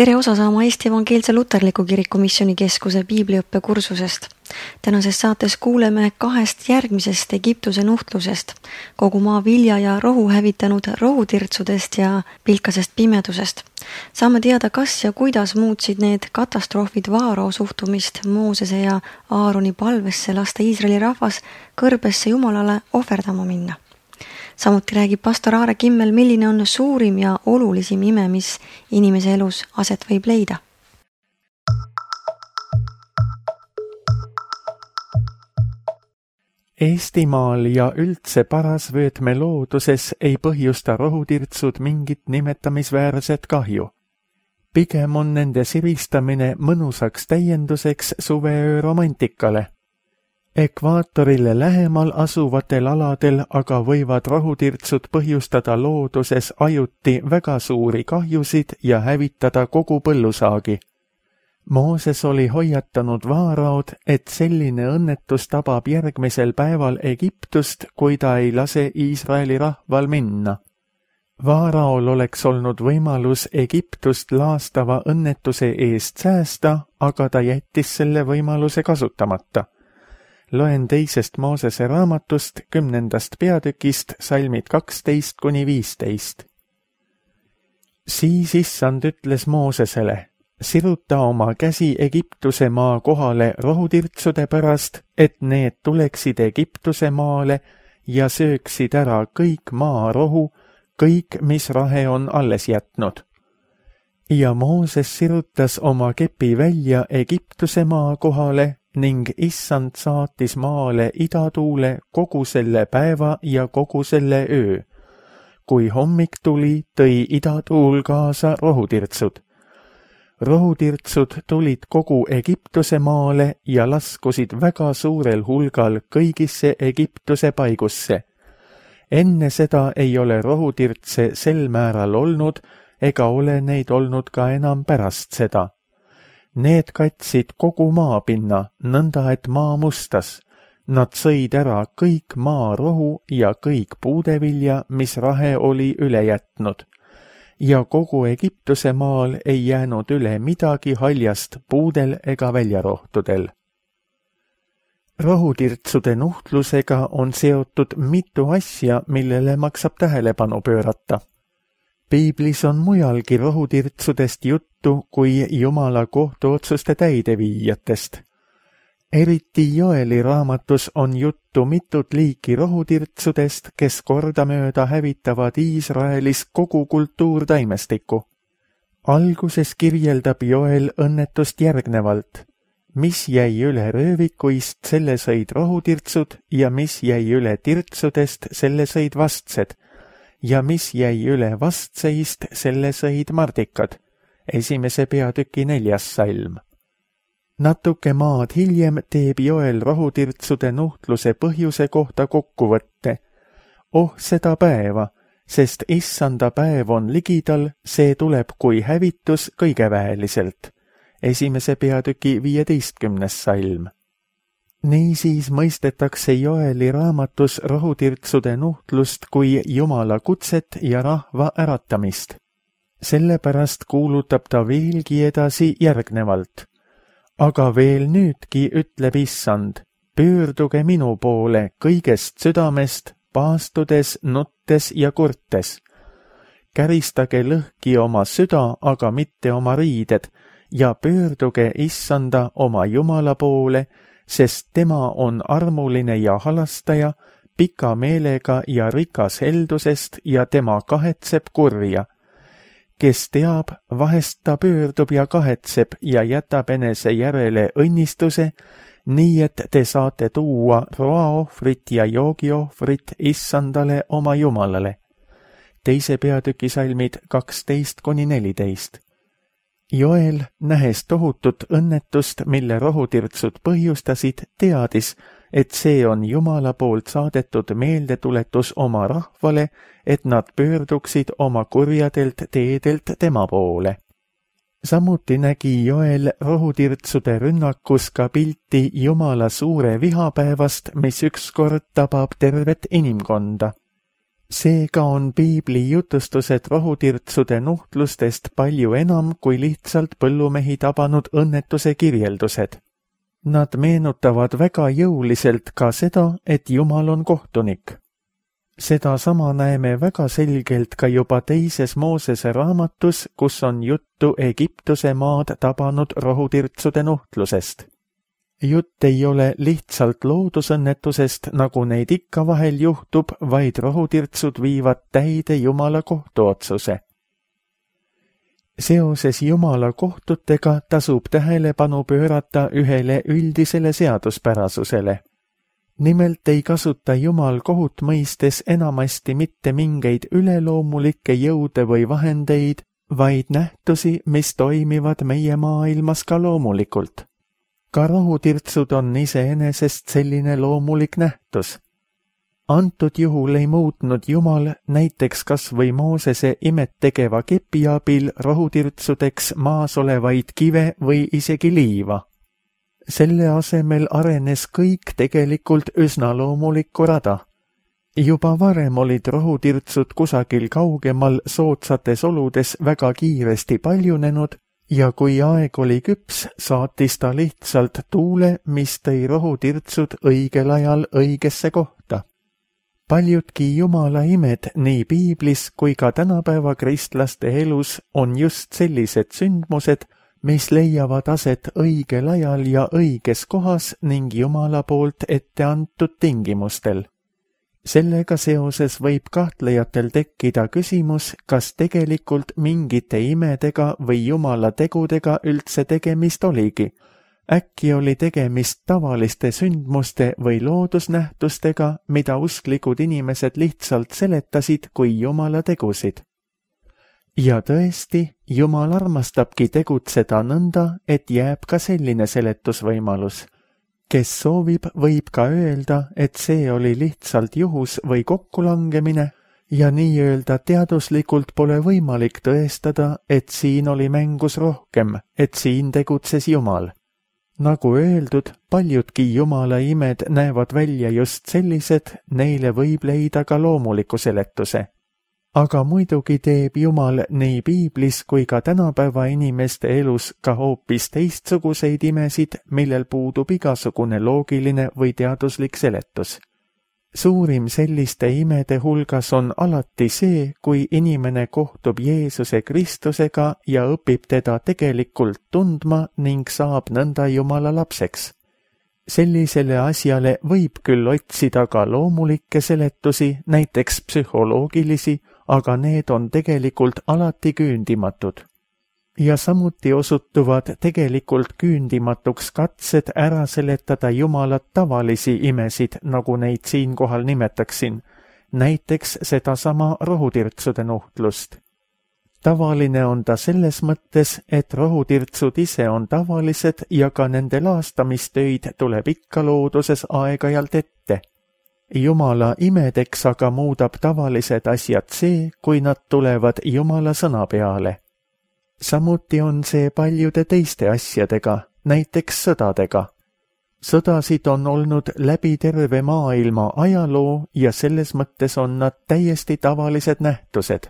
Tere osa saama Eesti Evangeelse Luterliku Kiriku Missioonikeskuse piibliõppe kursusest. Tänases saates kuuleme 2 järgmisest Egiptuse nuhtlusest, kogu maa vilja ja rohu hävitanud rohutirtsudest ja pilkasest pimedusest. Saame teada, kas ja kuidas muutsid need katastroofid Vaarao suhtumist Moosese ja Aaroni palvesse lasta Iisraeli rahvas kõrbesse Jumalale ohverdama minna. Samuti räägib pastor Aare Kimmel, milline on suurim ja olulisim ime, mis inimese elus aset võib leida. Eestimaal ja üldse parasvöötme looduses ei põhjusta rohutirtsud mingit nimetamisväärset kahju. Pigem on nende siristamine mõnusaks täienduseks suveöö romantikale. Ekvaatorile lähemal asuvatel aladel aga võivad rohutirtsud põhjustada looduses ajuti väga suuri kahjusid ja hävitada kogu põllusaagi. Mooses oli hoiatanud Vaaraod, et selline õnnetus tabab järgmisel päeval Egiptust, kui ta ei lase Iisraeli rahval minna. Vaaraol oleks olnud võimalus Egiptust laastava õnnetuse eest säästa, aga ta jättis selle võimaluse kasutamata. Loen 2. Moosese raamatust 10. peatükist salmid 12-15. Siis Issand ütles Moosesele, siruta oma käsi Egiptuse maa kohale rohutirtsude pärast, et need tuleksid Egiptuse maale ja sööksid ära kõik maarohu, kõik, mis rahe on alles jätnud. Ja Mooses sirutas oma kepi välja Egiptuse maa kohale, ning Issand saatis maale idatuule kogu selle päeva ja kogu selle öö. Kui hommik tuli, tõi idatuul kaasa rohutirtsud. Rohutirtsud tulid kogu Egiptuse maale ja laskusid väga suurel hulgal kõigisse Egiptuse paigusse. Enne seda ei ole rohutirtse sel määral olnud ega ole neid olnud ka enam pärast seda. Need katsid kogu maapinna, nõnda et maa mustas. Nad sõid ära kõik maarohu ja kõik puudevilja, mis rahe oli üle jätnud. Ja kogu Egiptuse maal ei jäänud üle midagi haljast puudel ega väljarohtudel. Rohutirtsude nuhtlusega on seotud mitu asja, millele maksab tähelepanu pöörata. Piiblis on mujalgi rohutirtsudest juttu kui Jumala kohtuotsuste täideviijatest. Eriti Joeli raamatus on juttu mitut liiki rohutirtsudest, kes kordamööda hävitavad Iisraelis kogu kultuurtaimestikku. Alguses kirjeldab Joel õnnetust järgnevalt. Mis jäi üle röövikuist, selle sõid rohutirtsud ja mis jäi üle tirtsudest, selle sõid vastsed. Ja mis jäi üle vastseist, selle sõid mardikad. 1. peatüki 4. salm. Natuke maad hiljem teeb Joel rohutirtsude nuhtluse põhjuse kohta kokkuvõtte. Seda päeva, sest Issanda päev on ligidal, see tuleb kui hävitus kõigeväeliselt. 1. peatüki 15. salm. Niisiis mõistetakse Joeli raamatus rohutirtsude nuhtlust kui Jumala kutset ja rahva äratamist. Sellepärast kuulutab ta veelgi edasi järgnevalt. Aga veel nüüdki ütleb Issand, pöörduge minu poole kõigest südamest, paastudes, nuttes ja kurtes. Käristage lõhki oma süda, aga mitte oma riided, ja pöörduge Issanda oma Jumala poole, sest tema on armuline ja halastaja, pika meelega ja rikas heldusest ja tema kahetseb kurja. Kes teab, vahest ta pöördub ja kahetseb ja jätab enese järele õnnistuse, nii et te saate tuua roaohvrit ja joogiohvrit Issandale oma Jumalale. 2. peatüki salmid 12-14. Joel, nähes tohutut õnnetust, mille rohutirtsud põhjustasid, teadis, et see on Jumala poolt saadetud meeldetuletus oma rahvale, et nad pöörduksid oma kurjadelt teedelt tema poole. Samuti nägi Joel rohutirtsude rünnakus ka pilti Jumala suure vihapäevast, mis ükskord tabab tervet inimkonda. Seega on piibli jutustused rohutirtsude nuhtlustest palju enam kui lihtsalt põllumehi tabanud õnnetuse kirjeldused. Nad meenutavad väga jõuliselt ka seda, et Jumal on kohtunik. Seda sama näeme väga selgelt ka juba teises Moosese raamatus, kus on juttu Egiptuse maad tabanud rohutirtsude nuhtlusest. Jutt ei ole lihtsalt loodusõnnetusest, nagu neid ikka vahel juhtub, vaid rohutirtsud viivad täide Jumala kohtuotsuse. Seoses Jumala kohtutega tasub tähelepanu pöörata ühele üldisele seaduspärasusele. Nimelt ei kasuta Jumal kohut mõistes enamasti mitte mingeid üleloomulikke jõude või vahendeid, vaid nähtusi, mis toimivad meie maailmas ka loomulikult. Ka rohutirtsud on iseenesest selline loomulik nähtus. Antud juhul ei muutnud Jumal näiteks kas või Moosese imet tegeva kepi abil rohutirtsudeks maas olevaid kive või isegi liiva. Selle asemel arenes kõik tegelikult üsna loomulikku rada. Juba varem olid rohutirtsud kusagil kaugemal soodsates oludes väga kiiresti paljunenud ja kui aeg oli küps, saatis ta lihtsalt tuule, mis tõi rohutirtsud õigel ajal õigesse kohta. Paljudki Jumala imed nii piiblis kui ka tänapäeva kristlaste elus on just sellised sündmused, mis leiavad aset õigel ajal ja õiges kohas ning Jumala poolt ette antud tingimustel. Sellega seoses võib kahtlejatel tekkida küsimus, kas tegelikult mingite imedega või Jumala tegudega üldse tegemist oligi. Äkki oli tegemist tavaliste sündmuste või loodusnähtustega, mida usklikud inimesed lihtsalt seletasid kui Jumala tegusid. Ja tõesti, Jumal armastabki tegutseda nõnda, et jääb ka selline seletusvõimalus. Kes soovib, võib ka öelda, et see oli lihtsalt juhus või kokkulangemine ja nii-öelda teaduslikult pole võimalik tõestada, et siin oli mängus rohkem, et siin tegutses Jumal. Nagu öeldud, paljudki Jumala imed näevad välja just sellised, neile võib leida ka loomuliku seletuse. Aga muidugi teeb Jumal nii piiblis kui ka tänapäeva inimeste elus ka hoopis teistsuguseid imesid, millel puudub igasugune loogiline või teaduslik seletus. Suurim selliste imede hulgas on alati see, kui inimene kohtub Jeesuse Kristusega ja õpib teda tegelikult tundma ning saab nõnda Jumala lapseks. Sellisele asjale võib küll otsida ka loomulikke seletusi, näiteks psühholoogilisi, aga need on tegelikult alati küündimatud. Ja samuti osutuvad tegelikult küündimatuks katsed ära seletada Jumala tavalisi imesid, nagu neid siinkohal nimetaksin, näiteks sedasama rohutirtsude nuhtlust. Tavaline on ta selles mõttes, et rohutirtsud ise on tavalised ja ka nende laastamistöid tuleb ikka looduses aeg-ajalt ette. Jumala imedeks aga muudab tavalised asjad see, kui nad tulevad Jumala sõna peale. Samuti on see paljude teiste asjadega, näiteks sõdadega. Sõdasid on olnud läbi terve maailma ajaloo ja selles mõttes on nad täiesti tavalised nähtused.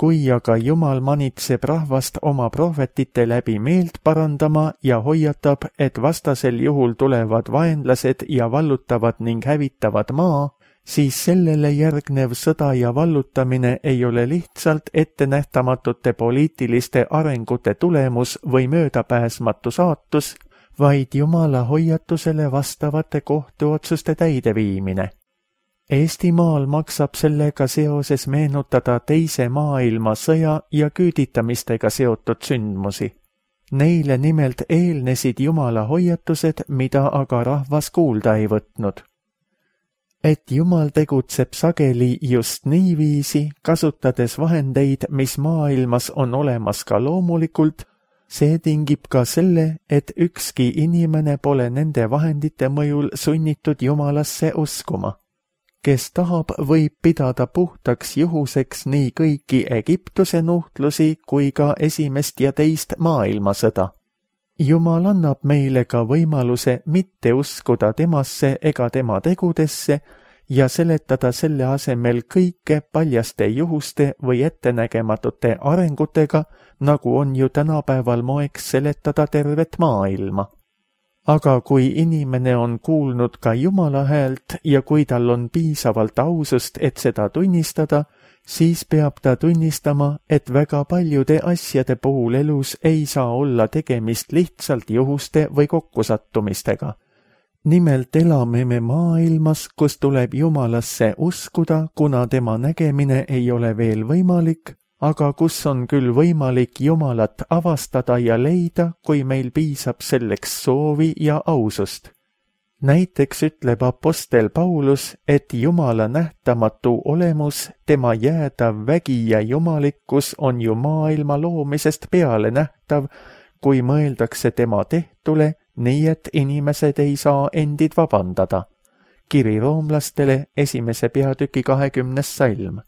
Kui aga Jumal manitseb rahvast oma prohvetite läbi meelt parandama ja hoiatab, et vastasel juhul tulevad vaenlased ja vallutavad ning hävitavad maa, siis sellele järgnev sõda ja vallutamine ei ole lihtsalt ettenähtamatute poliitiliste arengute tulemus või möödapääsmatu saatus, vaid Jumala hoiatusele vastavate kohtuotsuste täideviimine. Eestimaal maksab sellega seoses meenutada teise maailmasõja ja küüditamistega seotud sündmusi. Neile nimelt eelnesid Jumala hoiatused, mida aga rahvas kuulda ei võtnud. Et Jumal tegutseb sageli just niiviisi, kasutades vahendeid, mis maailmas on olemas ka loomulikult, see tingib ka selle, et ükski inimene pole nende vahendite mõjul sunnitud Jumalasse uskuma. Kes tahab, võib pidada puhtaks juhuseks nii kõiki Egiptuse nuhtlusi kui ka esimest ja teist maailmasõda. Jumal annab meile ka võimaluse mitte uskuda temasse ega tema tegudesse ja seletada selle asemel kõike paljaste juhuste või ettenägematute arengutega, nagu on ju tänapäeval moeks seletada tervet maailma. Aga kui inimene on kuulnud ka Jumala häält ja kui tal on piisavalt ausust, et seda tunnistada, siis peab ta tunnistama, et väga paljude asjade puhul elus ei saa olla tegemist lihtsalt juhuste või kokkusattumistega. Nimelt elame me maailmas, kus tuleb Jumalasse uskuda, kuna tema nägemine ei ole veel võimalik, aga kus on küll võimalik Jumalat avastada ja leida, kui meil piisab selleks soovi ja ausust. Näiteks ütleb apostel Paulus, et Jumala nähtamatu olemus, tema jäädav vägi ja jumalikkus on ju maailma loomisest peale nähtav, kui mõeldakse tema tehtule, nii et inimesed ei saa endid vabandada. Kiri roomlastele 1. peatüki 20. salm.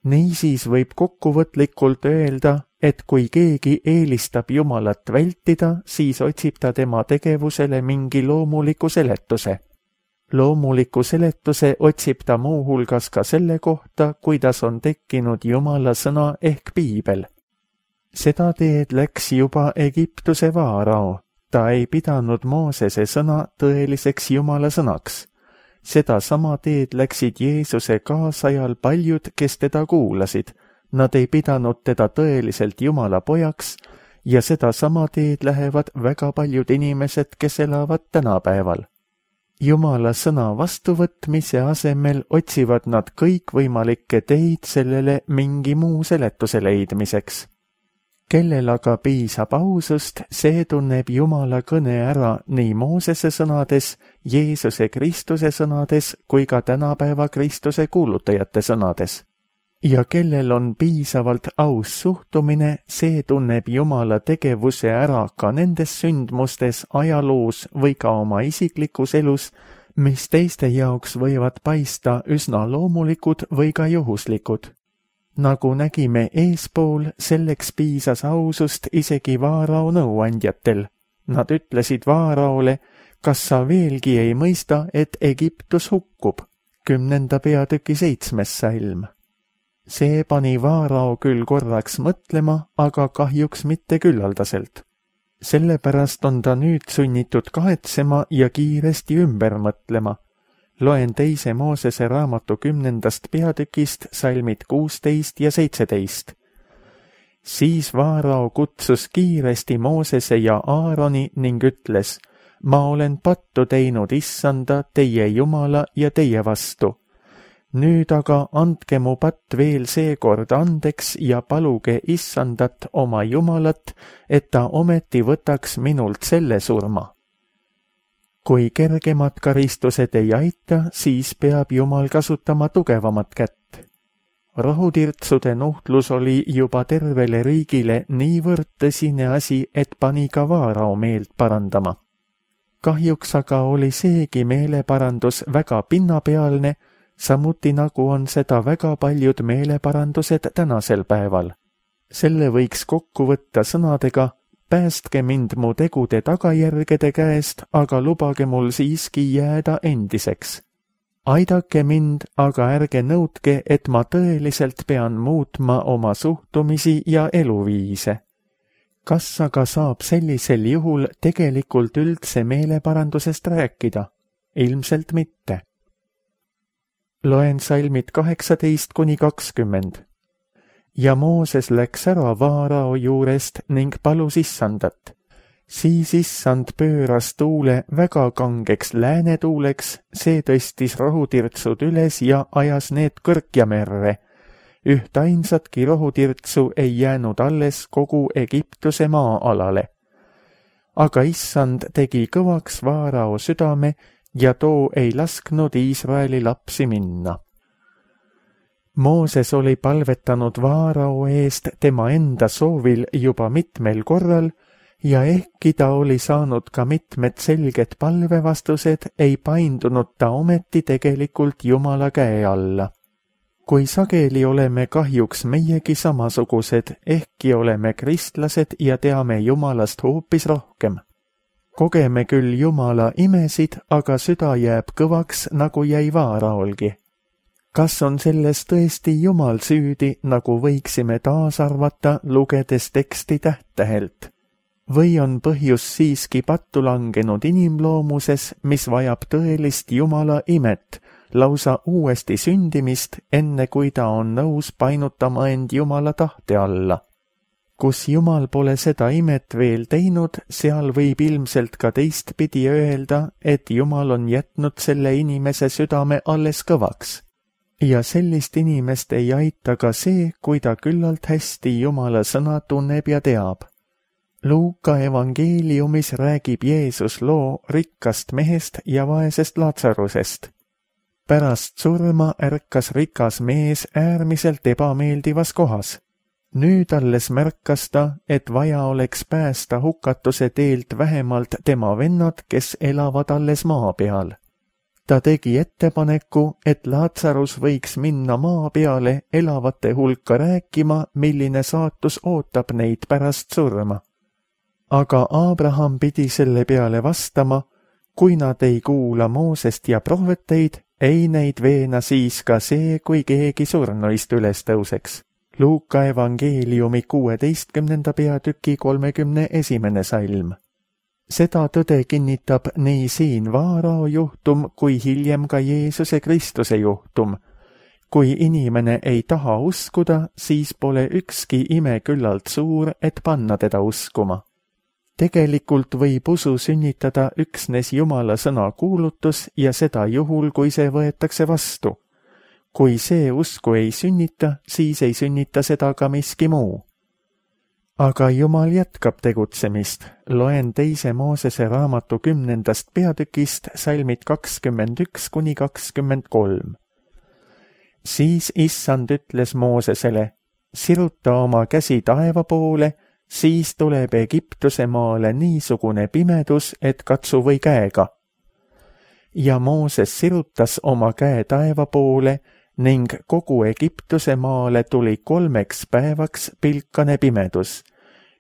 Niisiis võib kokkuvõtlikult öelda, et kui keegi eelistab Jumalat vältida, siis otsib ta tema tegevusele mingi loomuliku seletuse. Loomuliku seletuse otsib ta muuhulgas ka selle kohta, kuidas on tekkinud Jumala sõna ehk piibel. Seda teed läks juba Egiptuse vaarao. Ta ei pidanud Moosese sõna tõeliseks Jumala sõnaks. Seda sama teed läksid Jeesuse kaasajal paljud, kes teda kuulasid. Nad ei pidanud teda tõeliselt Jumala pojaks ja seda sama teed lähevad väga paljud inimesed, kes elavad tänapäeval. Jumala sõna vastuvõtmise asemel otsivad nad kõikvõimalikke teid sellele mingi muu seletuse leidmiseks. Kellel aga piisab ausust, see tunneb Jumala kõne ära nii Moosese sõnades, Jeesuse Kristuse sõnades kui ka tänapäeva Kristuse kuulutajate sõnades. Ja kellel on piisavalt aus suhtumine, see tunneb Jumala tegevuse ära ka nendes sündmustes, ajaloos või ka oma isiklikus elus, mis teiste jaoks võivad paista üsna loomulikud või ka juhuslikud. Nagu nägime eespool, selleks piisas ausust isegi vaarao nõuandjatel. Nad ütlesid vaaraole, kas sa veelgi ei mõista, et Egiptus hukkub, 10. peatüki 7. salm. See pani vaarao küll korraks mõtlema, aga kahjuks mitte küllaldaselt. Sellepärast on ta nüüd sunnitud kahetsema ja kiiresti ümber mõtlema. Loen 2. Moosese raamatu 10. peatükist salmid 16 ja 17. Siis vaarao kutsus kiiresti Moosese ja Aaroni ning ütles, ma olen pattu teinud Issanda, teie Jumala ja teie vastu. Nüüd aga andke mu patt veel seekord andeks ja paluge Issandat oma Jumalat, et ta ometi võtaks minult selle surma. Kui kergemad karistused ei aita, siis peab Jumal kasutama tugevamat kätt. Rohutirtsude nuhtlus oli juba tervele riigile niivõrd tõsine asi, et pani ka vaarao meelt parandama. Kahjuks aga oli seegi meeleparandus väga pinnapealne, samuti nagu on seda väga paljud meeleparandused tänasel päeval. Selle võiks kokku võtta sõnadega, päästke mind mu tegude tagajärgede käest, aga lubage mul siiski jääda endiseks. Aidake mind, aga ärge nõudke, et ma tõeliselt pean muutma oma suhtumisi ja eluviise. Kas aga saab sellisel juhul tegelikult üldse meeleparandusest rääkida? Ilmselt mitte. Loen salmid 18-20. Ja Mooses läks ära vaarao juurest ning palus Issandat. Siis Issand pööras tuule väga kangeks läänetuuleks, see tõstis rohutirtsud üles ja ajas need kõrkjamerre. Ühtainsatki rohutirtsu ei jäänud alles kogu Egiptuse maa-alale. Aga Issand tegi kõvaks vaarao südame ja too ei lasknud Iisraeli lapsi minna. Mooses oli palvetanud vaarao eest tema enda soovil juba mitmel korral ja ehkki ta oli saanud ka mitmed selged palvevastused, ei paindunud ta ometi tegelikult Jumala käe alla. Kui sageli oleme kahjuks meiegi samasugused, ehkki oleme kristlased ja teame Jumalast hoopis rohkem. Kogeme küll Jumala imesid, aga süda jääb kõvaks, nagu jäi Vaaraolgi. Kas on selles tõesti Jumal süüdi, nagu võiksime taas arvata, lugedes teksti täht-tähelt? Või on põhjus siiski pattu langenud inimloomuses, mis vajab tõelist Jumala imet, lausa uuesti sündimist, enne kui ta on nõus painutama end Jumala tahte alla? Kus Jumal pole seda imet veel teinud, seal võib ilmselt ka teistpidi öelda, et Jumal on jätnud selle inimese südame alles kõvaks. Ja sellist inimest ei aita ka see, kui ta küllalt hästi Jumala sõna tunneb ja teab. Luuka evangeeliumis räägib Jeesus loo rikkast mehest ja vaesest Laatsarusest. Pärast surma ärkas rikas mees äärmiselt ebameeldivas kohas. Nüüd alles märkas ta, et vaja oleks päästa hukatuse teelt vähemalt tema vennad, kes elavad alles maa peal. Ta tegi ettepaneku, et Laatsarus võiks minna maa peale elavate hulka rääkima, milline saatus ootab neid pärast surma. Aga Abraham pidi selle peale vastama, kui nad ei kuula Moosest ja prohveteid, ei neid veena siis ka see, kui keegi surnuist üles tõuseks. Luuka evangeeliumi 16. peatüki 31. salm. Seda tõde kinnitab nii siin Vaarao juhtum kui hiljem ka Jeesuse Kristuse juhtum. Kui inimene ei taha uskuda, siis pole ükski ime küllalt suur, et panna teda uskuma. Tegelikult võib usu sünnitada üksnes Jumala sõna kuulutus ja seda juhul, kui see võetakse vastu. Kui see usku ei sünnita, siis ei sünnita seda ka miski muu. Aga Jumal jätkab tegutsemist. Loen 2. Moosese raamatu 10. peatükist salmid 21–23. Siis Issand ütles Moosesele, siruta oma käsi taeva poole, siis tuleb Egiptuse maale niisugune pimedus, et katsu või käega. Ja Mooses sirutas oma käe taeva poole ning kogu Egiptuse maale tuli 3 päevaks pilkane pimedus.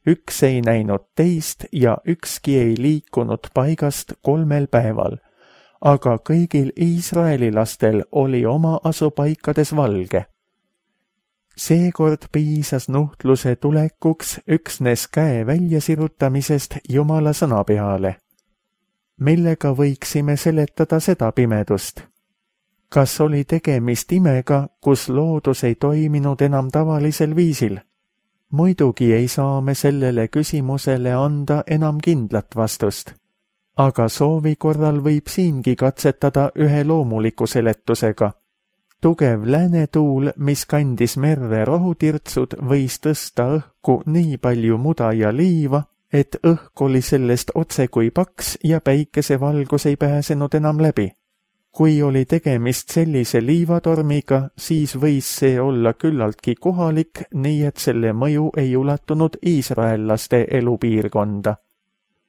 Üks ei näinud teist ja ükski ei liikunud paigast 3 päeval, aga kõigil Iisraeli lastel oli oma asupaikades valge. Seekord piisas nuhtluse tulekuks üksnes käe väljasirutamisest Jumala sõna peale. Millega võiksime seletada seda pimedust? Kas oli tegemist imega, kus loodus ei toiminud enam tavalisel viisil? Muidugi ei saa me sellele küsimusele anda enam kindlat vastust. Aga soovi korral võib siingi katsetada ühe loomuliku seletusega. Tugev läänetuul, mis kandis merre rohutirtsud, võis tõsta õhku nii palju muda ja liiva, et õhk oli sellest otse kui paks ja päikesevalgus ei pääsenud enam läbi. Kui oli tegemist sellise liivatormiga, siis võis see olla küllaltki kohalik, nii et selle mõju ei ulatunud iisraellaste elupiirkonda.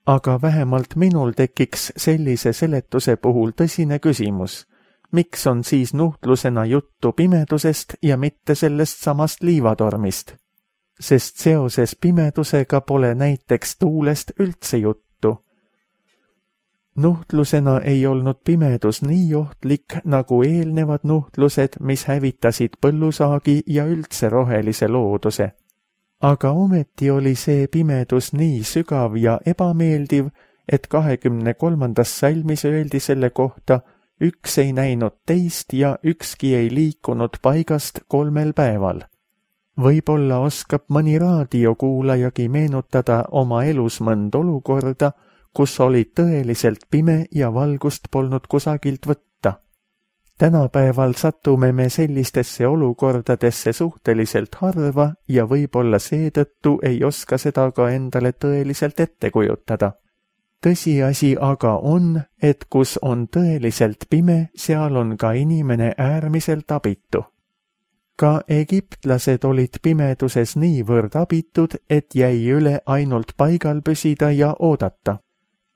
Aga vähemalt minul tekiks sellise seletuse puhul tõsine küsimus. Miks on siis nuhtlusena juttu pimedusest ja mitte sellest samast liivatormist? Sest seoses pimedusega pole näiteks tuulest üldse juttu. Nuhtlusena ei olnud pimedus nii ohtlik nagu eelnevad nuhtlused, mis hävitasid põllusaagi ja üldse rohelise looduse. Aga ometi oli see pimedus nii sügav ja ebameeldiv, et 23. salmis öeldi selle kohta, üks ei näinud teist ja ükski ei liikunud paigast 3 päeval. Võib-olla oskab mõni raadiokuulajagi meenutada oma elus mõnd olukorda, kus oli tõeliselt pime ja valgust polnud kusagilt võtta. Tänapäeval satume me sellistesse olukordadesse suhteliselt harva ja võib-olla seetõttu ei oska seda ka endale tõeliselt ette kujutada. Tõsiasi aga on, et kus on tõeliselt pime, seal on ka inimene äärmiselt abitu. Ka egiptlased olid pimeduses niivõrd abitud, et jäi üle ainult paigal püsida ja oodata.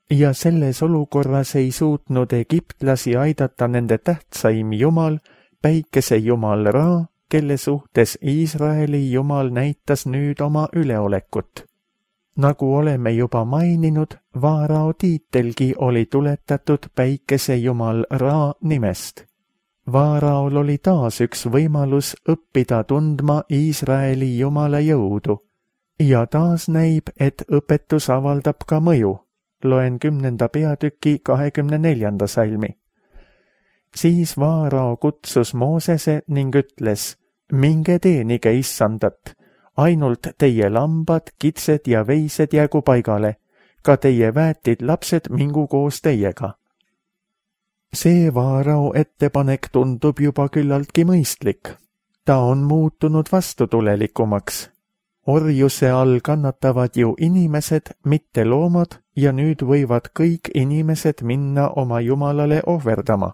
Ja selles olukorras ei suutnud egiptlasi aidata nende tähtsaim jumal, päikesejumal Ra, kelle suhtes Iisraeli jumal näitas nüüd oma üleolekut. Nagu oleme juba maininud, Vaarao tiitelgi oli tuletatud päikesejumal Ra nimest. Vaaraol oli taas üks võimalus õppida tundma Iisraeli jumala jõudu ja taas näib, et õpetus avaldab ka mõju. Loen 10. peatüki 24. salmi. Siis Vaarao kutsus Moosese ning ütles, minge teenige issandat, ainult teie lambad, kitsed ja veised jäägu paigale, ka teie väetid lapsed mingu koos teiega. See Vaarao ettepanek tundub juba küllaltki mõistlik. Ta on muutunud vastutulelikumaks. Orjuse all kannatavad ju inimesed, mitte loomad, ja nüüd võivad kõik inimesed minna oma jumalale ohverdama.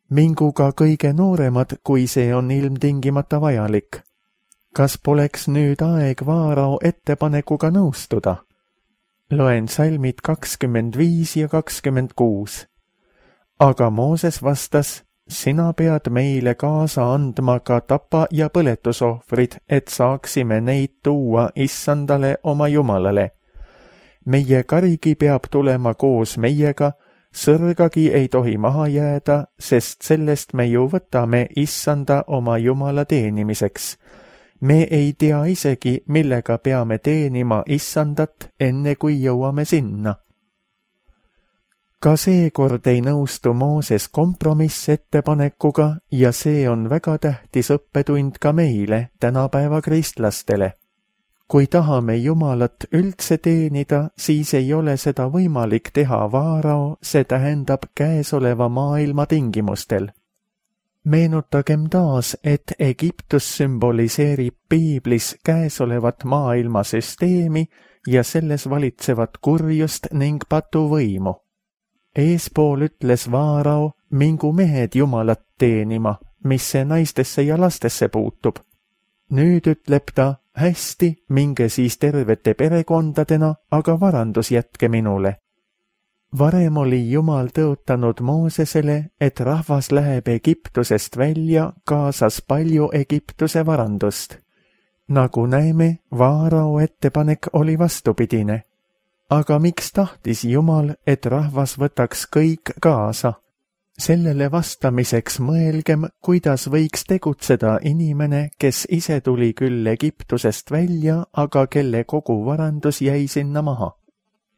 Mingu ka kõige nooremad, kui see on ilmtingimata vajalik. Kas poleks nüüd aeg Vaarao ettepanekuga nõustuda? Loen salmid 25 ja 26. Aga Mooses vastas, sina pead meile kaasa andma ka tapa- ja põletusohvrid, et saaksime neid tuua issandale oma jumalale. Meie karigi peab tulema koos meiega, sõrgagi ei tohi maha jääda, sest sellest me ju võtame issanda oma jumala teenimiseks. Me ei tea isegi, millega peame teenima issandat, enne kui jõuame sinna. Ka seekord ei nõustu Mooses kompromissettepanekuga ja see on väga tähtis õppetund ka meile, tänapäeva kristlastele. Kui tahame Jumalat üldse teenida, siis ei ole seda võimalik teha Vaarao, see tähendab käesoleva maailma tingimustel. Meenutagem taas, et Egiptus sümboliseerib piiblis käesolevat maailmasüsteemi ja selles valitsevat kurjust ning patuvõimu. Eespool ütles Vaarao, mingu mehed Jumalat teenima, mis see naistesse ja lastesse puutub. Nüüd ütleb ta, hästi, minge siis tervete perekondadena, aga varandus jätke minule. Varem oli Jumal tõotanud Moosesele, et rahvas läheb Egiptusest välja, kaasas palju Egiptuse varandust. Nagu näeme, Vaarao ettepanek oli vastupidine. Aga miks tahtis Jumal, et rahvas võtaks kõik kaasa? Sellele vastamiseks mõelgem, kuidas võiks tegutseda inimene, kes ise tuli küll Egiptusest välja, aga kelle kogu varandus jäi sinna maha.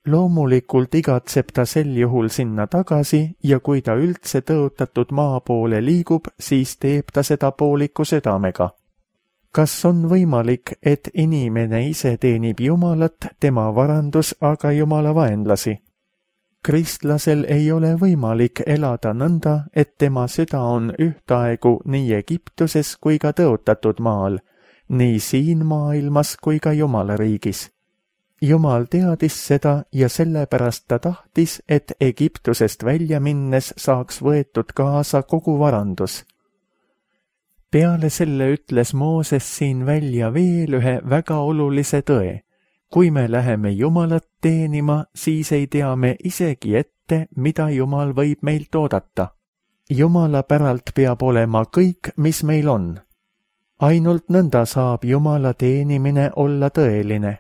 Loomulikult igatseb ta sel juhul sinna tagasi ja kui ta üldse tõotatud maa poole liigub, siis teeb ta seda pooliku südamega. Kas on võimalik, et inimene ise teenib Jumalat, tema varandus aga Jumala vaenlasi? Kristlasel ei ole võimalik elada nõnda, et tema süda on ühtaegu nii Egiptuses kui ka tõotatud maal, nii siin maailmas kui ka Jumala riigis. Jumal teadis seda ja sellepärast ta tahtis, et Egiptusest välja minnes saaks võetud kaasa kogu varandus. Peale selle ütles Mooses siin välja veel ühe väga olulise tõe. Kui me läheme Jumalat teenima, siis ei tea me isegi ette, mida Jumal võib meilt oodata. Jumala päralt peab olema kõik, mis meil on. Ainult nõnda saab Jumala teenimine olla tõeline.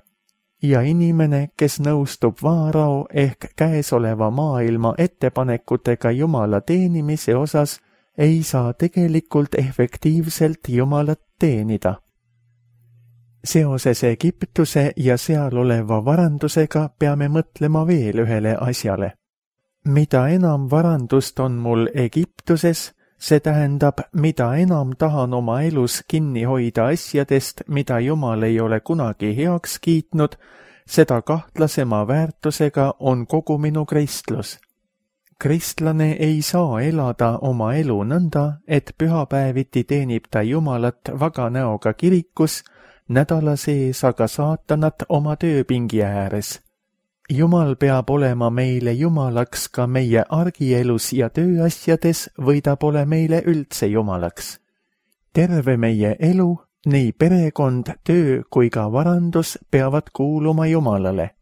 Ja inimene, kes nõustub Vaarao ehk käesoleva maailma ettepanekutega Jumala teenimise osas, ei saa tegelikult efektiivselt Jumalat teenida. Seoses Egiptuse ja seal oleva varandusega peame mõtlema veel ühele asjale. Mida enam varandust on mul Egiptuses, see tähendab, mida enam tahan oma elus kinni hoida asjadest, mida Jumal ei ole kunagi heaks kiitnud, seda kahtlasema väärtusega on kogu minu kristlus. Kristlane ei saa elada oma elu nõnda, et pühapäeviti teenib ta Jumalat vaga näoga kirikus, nädala sees aga saatanat oma tööpingi ääres. Jumal peab olema meile Jumalaks ka meie argielus ja tööasjades või ta pole meile üldse Jumalaks. Terve meie elu, nii perekond, töö kui ka varandus peavad kuuluma Jumalale.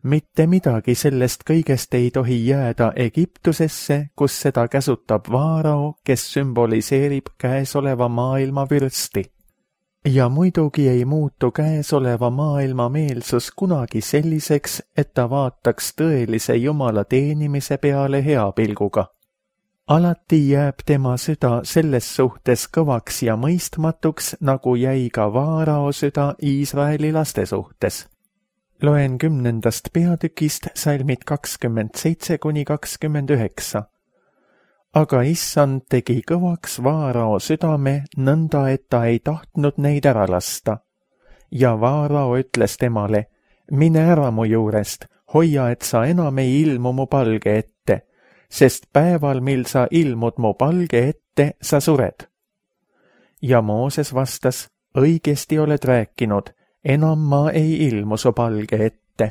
Mitte midagi sellest kõigest ei tohi jääda Egiptusesse, kus seda käsutab Vaarao, kes sümboliseerib käesoleva maailma vürsti. Ja muidugi ei muutu käesoleva maailma meelsus kunagi selliseks, et ta vaataks tõelise Jumala teenimise peale hea pilguga. Alati jääb tema süda selles suhtes kõvaks ja mõistmatuks, nagu jäi ka Vaarao süda Iisraeli laste suhtes. Loen 10. peatükist salmid 27–29. Aga issand tegi kõvaks Vaarao südame nõnda, et ta ei tahtnud neid ära lasta. Ja Vaarao ütles temale, mine ära mu juurest, hoia, et sa enam ei ilmu mu palge ette, sest päeval, mil sa ilmud mu palge ette, sa sured. Ja Mooses vastas, õigesti oled rääkinud, enam ma ei ilmu su palge ette.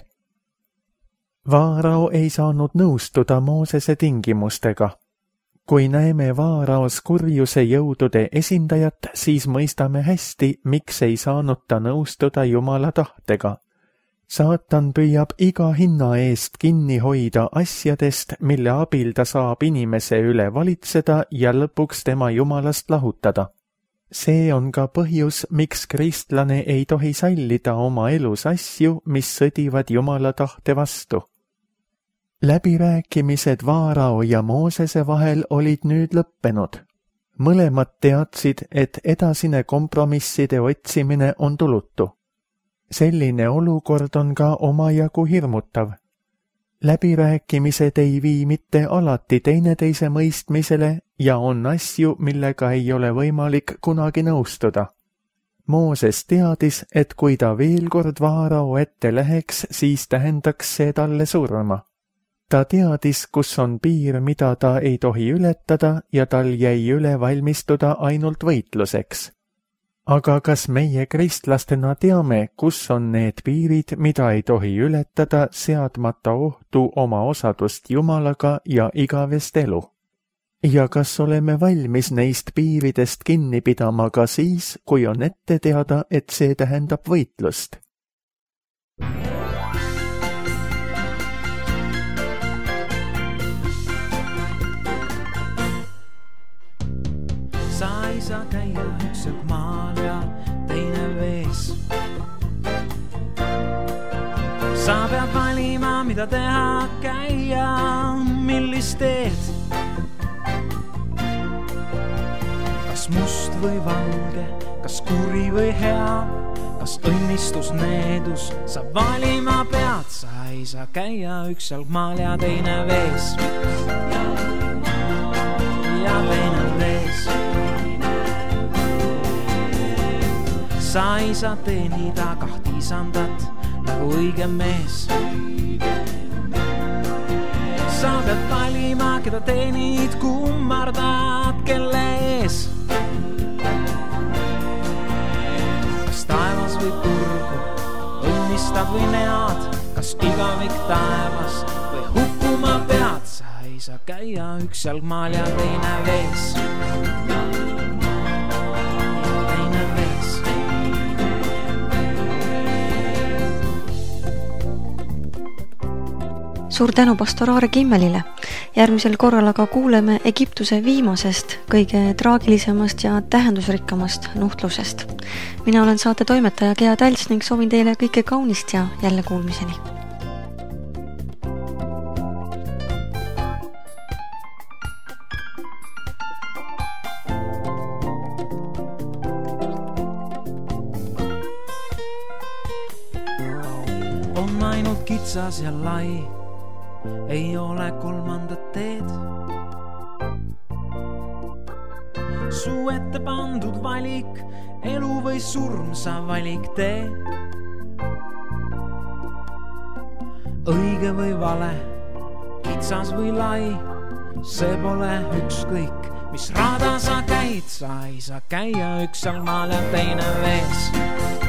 Vaarao ei saanud nõustuda Moosese tingimustega. Kui näeme Vaaraos kurjuse jõudude esindajat, siis mõistame hästi, miks ei saanud ta nõustuda Jumala tahtega. Saatan püüab iga hinna eest kinni hoida asjadest, mille abil ta saab inimese üle valitseda ja lõpuks tema Jumalast lahutada. See on ka põhjus, miks kristlane ei tohi sallida oma elus asju, mis sõdivad Jumala tahte vastu. Läbirääkimised Vaarao ja Moosese vahel olid nüüd lõppenud. Mõlemad teadsid, et edasine kompromisside otsimine on tulutu. Selline olukord on ka omajagu hirmutav. Läbirääkimised ei vii mitte alati teineteise mõistmisele ja on asju, millega ei ole võimalik kunagi nõustuda. Mooses teadis, et kui ta veel kord Vaarao ette läheks, siis tähendaks see talle surma. Ta teadis, kus on piir, mida ta ei tohi ületada ja tal jäi üle valmistuda ainult võitluseks. Aga kas meie kristlastena teame, kus on need piirid, mida ei tohi ületada, seadmata ohtu oma osadust Jumalaga ja igavest elu? Ja kas oleme valmis neist piiridest kinni pidama ka siis, kui on ette teada, et see tähendab võitlust? Sa ei saa käia üksel maal ja teine vees. Sa pead valima, mida teha, käia, millist teed. Kas must või valge, kas kuri või hea, kas õnnistus, needus, sa valima pead. Sa ei saa käia üksel maal ja teine vees. Ja teine vees. Sa ei saa teenida kahti isandat nagu õige mees. Sa pead valima, keda teenid, kummardad, kelle ees. Kas taevas või turgu, õnnistad või nead, kas igavik taevas või hukkuma pead. Sa ei saa käia üks jalgmaal ja teine vees. Suur tänu pastor Aare Kimmelile. Järgmisel korral aga kuuleme Egiptuse viimasest, kõige traagilisemast ja tähendusrikkamast nuhtlusest. Mina olen saate toimetaja Gea Tälts ning soovin teile kõike kaunist ja jälle kuulmiseni. On ainult kitsas ja lai, ei ole kolmandat teed. Su ette pandud valik, elu või surm, sa valik tee. Õige või vale, kitsas või lai, see pole ükskõik, mis rada sa käid. Sa ei saa käia üks jalgmaal ja teine vees.